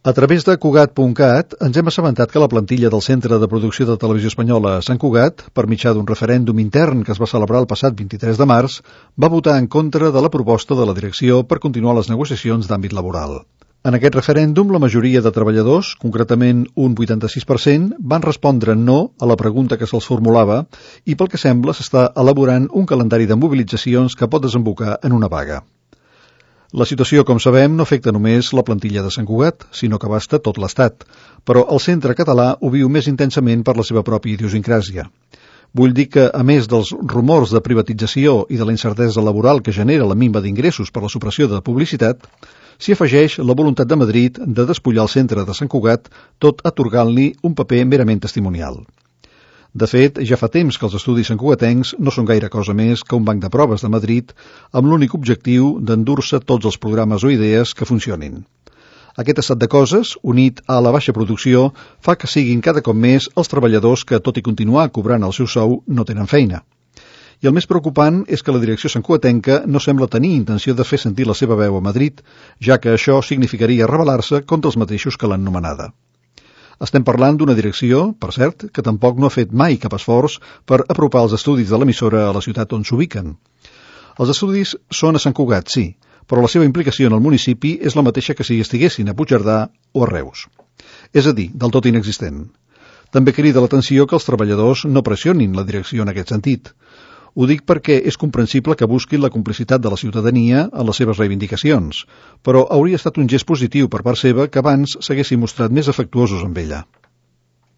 A través de Cugat.cat ens hem assabentat que la plantilla del Centre de Producció de Televisió Espanyola a Sant Cugat, per mitjà d'un referèndum intern que es va celebrar el passat 23 de març, va votar en contra de la proposta de la direcció per continuar les negociacions d'àmbit laboral. En aquest referèndum, la majoria de treballadors, concretament un 86%, van respondre no a la pregunta que se'ls formulava i pel que sembla s'està elaborant un calendari de mobilitzacions que pot desembocar en una vaga. La situació, com sabem, no afecta només la plantilla de Sant Cugat, sinó que abasta tot l'Estat, però el centre català ho viu més intensament per la seva pròpia idiosincràsia. Vull dir que, a més dels rumors de privatització i de la incertesa laboral que genera la minva d'ingressos per la supressió de publicitat, s'hi afegeix la voluntat de Madrid de despullar el centre de Sant Cugat, tot atorgant-li un paper merament testimonial. De fet, ja fa temps que els estudis santcugatencs no són gaire cosa més que un banc de proves de Madrid amb l'únic objectiu d'endur-se tots els programes o idees que funcionin. Aquest estat de coses, unit a la baixa producció, fa que siguin cada cop més els treballadors que, tot i continuar cobrant el seu sou, no tenen feina. I el més preocupant és que la direcció santcugatenca no sembla tenir intenció de fer sentir la seva veu a Madrid, ja que això significaria rebel·lar-se contra els mateixos que l'han nomenada. Estem parlant d'una direcció, per cert, que tampoc no ha fet mai cap esforç per apropar els estudis de l'emissora a la ciutat on s'ubiquen. Els estudis són a Sant Cugat, sí, però la seva implicació en el municipi és la mateixa que si estiguessin a Puigcerdà o a Reus. És a dir, del tot inexistent. També crida l'atenció que els treballadors no pressionin la direcció en aquest sentit. Ho dic perquè és comprensible que busquin la complicitat de la ciutadania en les seves reivindicacions, però hauria estat un gest positiu per part seva que abans s'haguessin mostrat més afectuosos amb ella.